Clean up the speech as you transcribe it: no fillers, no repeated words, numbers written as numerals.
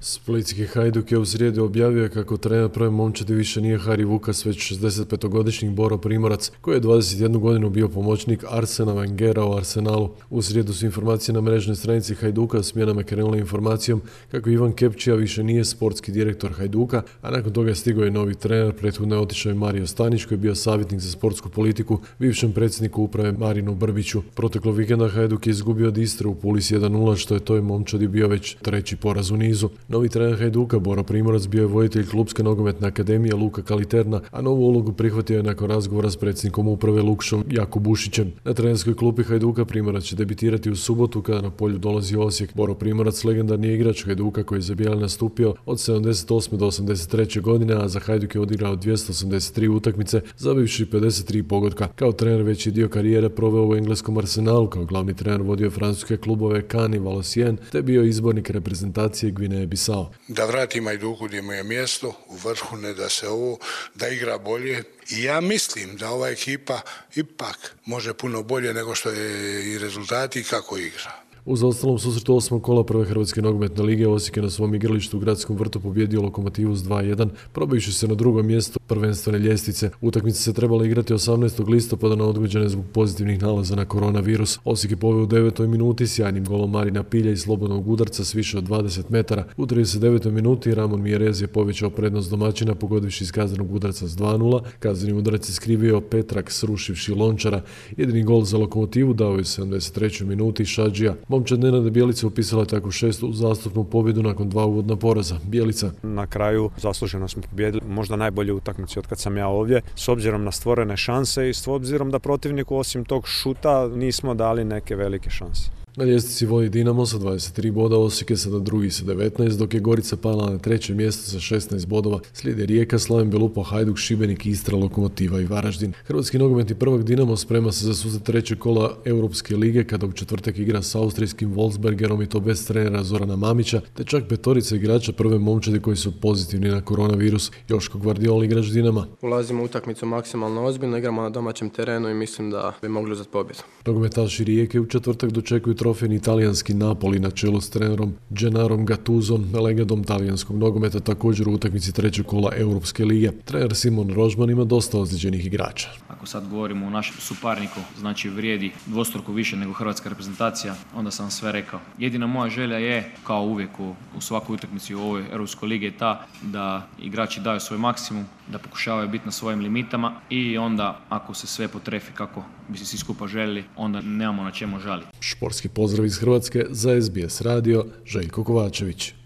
Splitski Hajduk je u srijedu objavio kako trener prve momčadi više nije Hari Vukas, već 65-godišnji Boro Primorac, koji je 21 godinu bio pomoćnik Arsena Wengera u Arsenalu. U srijedu su informacije na mrežnoj stranici Hajduka smjenama krenule informacijom kako Ivan Kepčija više nije sportski direktor Hajduka, a nakon toga stigao je novi trener. Prethodno je otišao i Mario Stanić, koji je bio savjetnik za sportsku politiku bivšem predsjedniku uprave Marinu Brbiću. Proteklog vikenda Hajduk je izgubio od Istre u Puli s 1:0, što je toj momčadi bio već treći poraz u nizu. Novi trener Hajduka, Boro Primorac, bio je voditelj Klubske nogometne akademije Luka Kaliterna, a novu ulogu prihvatio je nakon razgovora s predsjednikom uprave Lukšom Jakobušićem. Na trenerskoj klupi Hajduka Primorac će debitirati u subotu kada na polju dolazi Osijek. Boro Primorac, legendarni igrač Hajduka koji je za bijele nastupio od 78. do 83. godine, a za Hajduk je odigrao 283 utakmice, zabivši 53 pogotka. Kao trener veći dio karijere proveo u engleskom Arsenalu, kao glavni trener vodio francuske klubove Cannes i Valenciennes, te bio izbornik reprezentacije Gvineje Bisao. Da vrati Hajduku gdje mu je mjesto, u vrhu, ne da se da igra bolje. I ja mislim da ova ekipa ipak može puno bolje nego što je i rezultati i kako igra. U zaostalom susretu 8. kola prve Hrvatske nogometne lige Osijek je na svom igralištu u Gradskom vrtu pobjedio Lokomotivu s 2:1, probivši se na drugo mjesto prvenstvene ljestvice. Utakmica se trebala igrati 18. listopada, no odgođena zbog pozitivnih nalaza na koronavirus. Osijek je poveo u 9. minuti sjajnim golom Marina Pilja iz slobodnog udarca s više od 20 metara. U 39. minuti Ramon Mjerez je povećao prednost domaćina pogodivši iz kaznenog udarca s 2:0. Kazneni udarac je skrivio Petrak srušivši Lončara. Jedini gol za Lokomotivu dao je u 73. minuti Šadžija. Momčad Nenada Bjelica upisala tako 6. uzastopnu pobjedu nakon 2 uvodna poraza. Bjelica: na kraju zasluženo smo pobjedili, možda najbolje utakmice od kad sam ja ovdje, s obzirom na stvorene šanse i s obzirom da protivniku osim tog šuta nismo dali neke velike šanse. Na ljestvici vodi Dinamo sa 23 boda, Osijek je sada drugi sa 19, dok je Gorica pala na treće mjesto sa 16 bodova. Slijede Rijeka, Slaven Belupo, Hajduk, Šibenik, Istra, Lokomotiva i Varaždin. Hrvatski nogometni prvak Dinamo sprema se za susret trećeg kola Europske lige kada u četvrtak igra s austrijskim Wolfsbergerom, i to bez trenera Zorana Mamića, te čak petorica igrača prve momčadi koji su pozitivni na koronavirus. Joško Gvardiol, igrač Dinama: ulazimo u utakmicu maksimalno ozbiljno, igramo na domaćem terenu i mislim da bi mogli uzeti pobjedu. Nogometaši Rijeke u četvrtak dočekuju trofejni italijanski Napoli na čelu s trenerom Gennarom Gattusom, legendom talijanskog nogometa, također u utakmici trećeg kola Europske lige. Trener Simon Rožman ima dosta ozlijeđenih igrača. Ako sad govorimo o našem suparniku, znači vrijedi dvostruko više nego hrvatska reprezentacija, onda sam sve rekao. Jedina moja želja je, kao uvijek u svakoj utakmici u ovoj Europskoj ligi, je ta da igrači daju svoj maksimum, da pokušavaju biti na svojim limitama i onda ako se sve potrefi kako bi se svi skupa željeli, onda nemamo na čemu žaliti. Športski pozdrav iz Hrvatske za SBS radio, Željko Kovačević.